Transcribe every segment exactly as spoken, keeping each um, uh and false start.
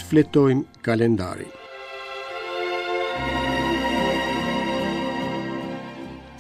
Shfletojmë kalendarin.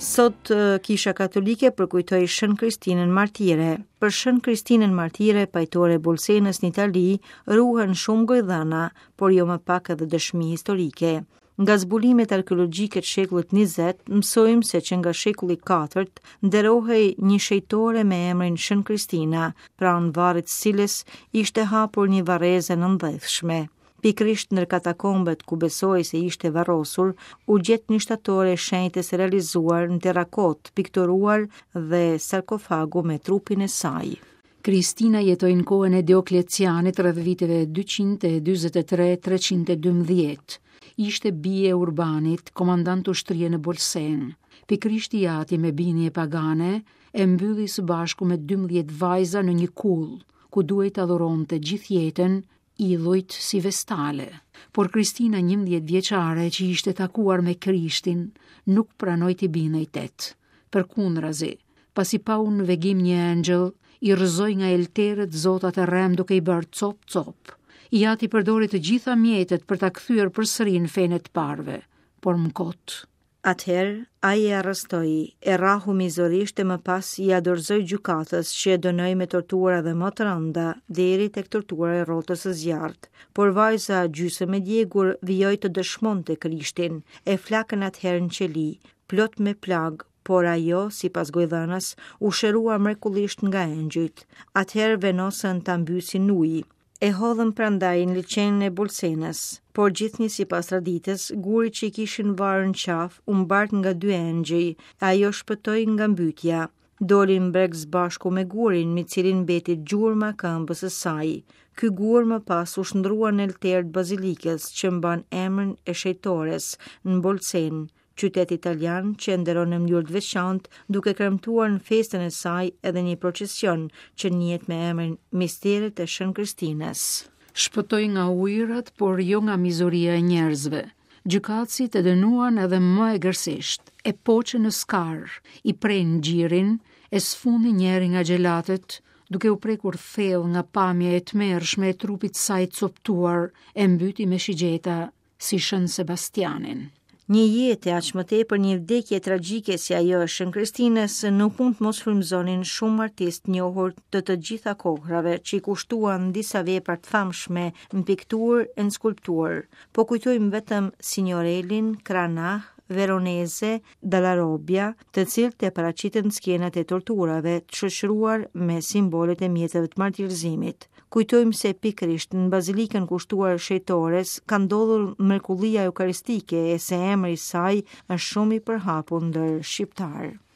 Sot Kisha Katolike përkujtoi Shën Kristinën Martire. Për Shën Kristinën Martire, pajtore e Bolsenës në Itali, ruhen shumë gojëdhëna, por jo më pak edhe dëshmi historike. Nga zbulimet arkeologjike të shekullit njëzet, mësojmë se që nga shekulli i katërt nderohej një shejtore me emrin Shën Kristina, pranë varrit të cilës ishte hapur një varrezë e nëndheshme. Pikërisht ndër katakombet ku besohej se ishte varrosur, u gjet një shtatore e shenjtës e realizuar në terrakot, pikturuar dhe sarkofagu me trupin e saj. Kristina jetoi në kohën e Dioklecianit rreth viteve dyqind e dyzet e tre treqind e dymbëdhjetë. Ishte bie e Urbanit, komandant ushtrie në Bolsen. Pikërisht i ati me binje pagane e mbylli së bashku me dymbëdhjetë vajza në një kullë, ku duhej ta dhuronte gjithë jetën idhujt si vestale. Por Kristina njëmbëdhjetë vjeçare që ishte takuar me Krishtin, nuk pranoi t'i bindej tet. Përkundrazi, pasi pau në vegim një engjëll, i rrëzoi nga elterët zotat e rrem duke i bërë cop cop. I ati përdori të gjitha mjetet për ta kthyer përsëri në fenë e të parëve, por më kot. Atëherë, ai e arrestoi, e rrahu mizorisht e më pas i dorëzoi gjykatës që e dënoi me tortura dhe më të rënda, deri tek tortura e rrotës së zjarrt. Por vajza gjysmë e djegur vijoi të dëshmonte Krishtin, e flakën atëherë në qeli, plot me plagë, por ajo, sipas gojëdhënës, u shërua mrekullisht nga engjëjt. Atëherë vendosën ta mbysin në ujë. E hodhën prandaj në liqenin e Bolsenës, por gjithnjë sipas traditës, guri që i kishin varë në qafë u mbart nga dy engjëj, e ajo shpëtoi nga mbytja. Doli në breg së bashku me gurin, me cilin mbeti gjurma këmbës së saj. Ky gur më pas u shndrua në alter të bazilikës që mban emrin e shejtores në Bolsen, qytet italian që e nderon në mënyrë të veçantë, duke kremtuar në festën e saj edhe një procesion që njihet me emrin Misteret e Shën Kristinës. Shpëtoi nga ujërat, por jo nga mizoria e njerëzve. Gjykatësit e dënuan edhe më egërsisht, e poqën në skar, i prenë gjirin, e sfundi njëri nga xhelatët, duke u prekur thellë nga pamja e tmerrshme e trupit saj të coptuar, e mbyti me shigjeta si Shën Sebastianin. Një jetë e aq më tepër një vdekje tragjike si ajo e Shën Kristinës nuk mund të mos frymëzonin shumë artistë njohur të të gjitha kohrave që i kushtuan disa vepra të famshme në pikturë e në skulpturë. Po kujtojmë vetëm Signorellin, Cranach, Veronese, Dalla Robbia, të cilët e paraqitën skenat e torturave të shoqëruar me simbolet e mjeteve të martirizimit. Kujtojmë se pikërisht në bazilikën kushtuar shejtores ka ndodhur mrekullia eukaristike e se emri i saj është shumë i përhapur ndër shqiptar.